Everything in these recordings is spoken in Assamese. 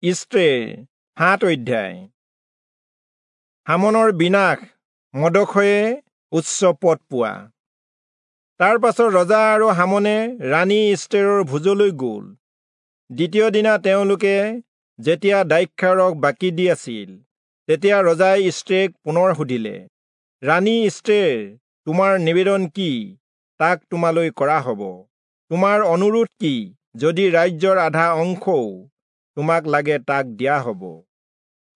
ইষ্টেৰ 7 অধ্যায়। হামনৰ বিনাশ, মৰ্দখয়ে উচ্চ পদ পোৱা। তাৰ পাছত ৰজা আৰু হামনে ৰাণী ইষ্টেৰৰ ভোজলৈ গ'ল। দ্বিতীয় দিনা তেওঁলোকে যেতিয়া দ্ৰাক্ষাৰস বাকি দি আছিল, তেতিয়া ৰজাই ইষ্টেৰক পুনৰ সুধিলে, ৰাণী ইষ্টেৰ, তোমাৰ নিবেদন কি? তাক তোমালৈ কৰা হ'ব। তোমাৰ অনুৰোধ কি? যদি ৰাজ্যৰ আধা অংশও তোমাক লাগে তাক দিয়া হ'ব।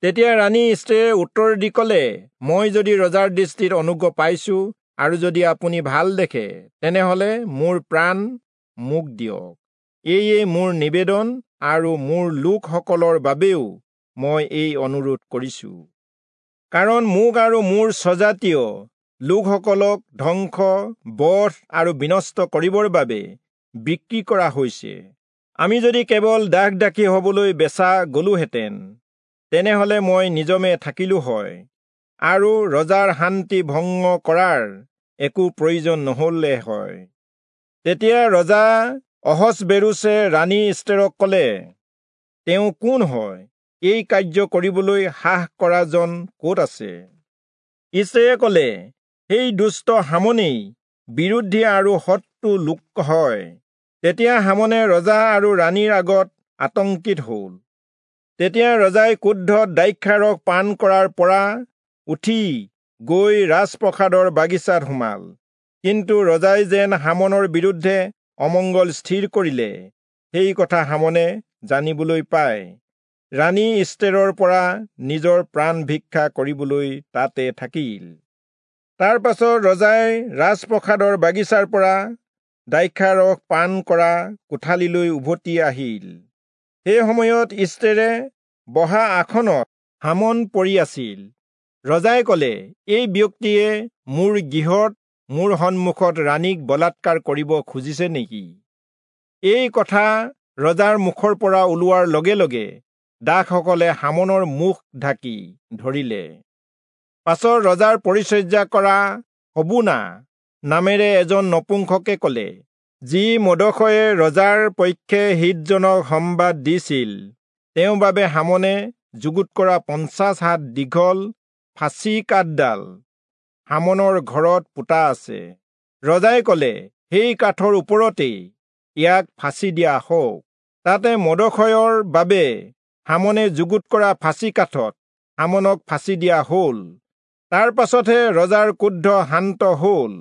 তেতিয়া ৰাণী ইষ্টেৰে উত্তৰ দি ক'লে, মই যদি ৰজাৰ দৃষ্টিত অনুগ্ৰহ পাইছো আৰু যদি আপুনি ভাল দেখে, তেনেহলে মোৰ প্ৰাণ মোক দিয়ক। এয়ে মোৰ নিবেদন আৰু মোৰ লোকসকলৰ বাবেও মই এই অনুৰোধ কৰিছো। কাৰণ মোক আৰু মোৰ স্বজাতীয় লোকসকলক ধ্বংস, বধ আৰু বিনষ্ট কৰিবৰ বাবে বিক্ৰী কৰা হৈছে। আমি যদি কেৱল দাস দাসী হবলৈ বেচা গলোহেঁতেন, তেনেহলে মই নিজমে থাকিলো হয় আৰু ৰজাৰ শান্তি ভংগ কৰাৰ একো প্ৰয়োজন নহলে হয়। তেতিয়া ৰজা অহচ্বেৰোচে ৰাণী ইষ্টেৰক ক'লে, তেওঁ কোন হয়? এই কাৰ্য কৰিবলৈ সাহ কৰাজন ক'ত আছে? ইষ্টেৰে ক'লে, সেই দুষ্ট হামনেই বিৰোধী আৰু শত্ৰু লোক হয়। তেতিয়া হামনে ৰজা আৰু ৰাণীৰ আগত আতংকিত হ'ল। তেতিয়া ৰজাই ক্ৰোধত দ্ৰাক্ষাৰস পান কৰাৰ পৰা উঠি গৈ ৰাজপ্ৰসাদৰ বাগিচাত সোমাল। কিন্তু ৰজাই যেন হামনৰ বিৰুদ্ধে অমংগল স্থিৰ কৰিলে, সেই কথা হামনে জানিবলৈ পাই ৰাণী ইষ্টেৰৰ পৰা নিজৰ প্ৰাণ ভিক্ষা কৰিবলৈ তাতে থাকিল। তাৰ পাছত ৰজাই ৰাজপ্ৰসাদৰ বাগিচাৰ পৰা দ্ৰাক্ষাৰস পান কৰা কোঠালিলৈ উভতি আহিল। সেই সময়ত ইষ্টেৰে বহা আসনত হামন পৰি আছিল। ৰজাই ক'লে, এই ব্যক্তিয়ে মোৰ গৃহত মোৰ সন্মুখত ৰাণীক বলাৎকাৰ কৰিব খুজিছে নেকি? এই কথা ৰজাৰ মুখৰ পৰা ওলোৱাৰ লগে লগে দাসসকলে হামনৰ মুখ ঢাকি ধৰিলে। পাছত ৰজাৰ পৰিচৰ্যা কৰা হবোনা নামেৰে এজন নপুংসকে ক'লে, যি মৰ্দখয়ে ৰজাৰ পক্ষে হিতজনক সম্বাদ দিছিল, তেওঁৰ বাবে হামনে যুগুত কৰা 50 হাত দীঘল ফাঁচি কাঠডাল হামনৰ ঘৰত পোতা আছে। ৰজাই ক'লে, সেই কাঠৰ ওপৰতেই ইয়াক ফাঁচি দিয়া হওক। তাতে মৰ্দখয়ৰ বাবে হামনে যুগুত কৰা ফাঁচি কাঠত হামনক ফাঁচি দিয়া হ'ল। তাৰ পাছতহে ৰজাৰ ক্ৰোধ শান্ত হ'ল।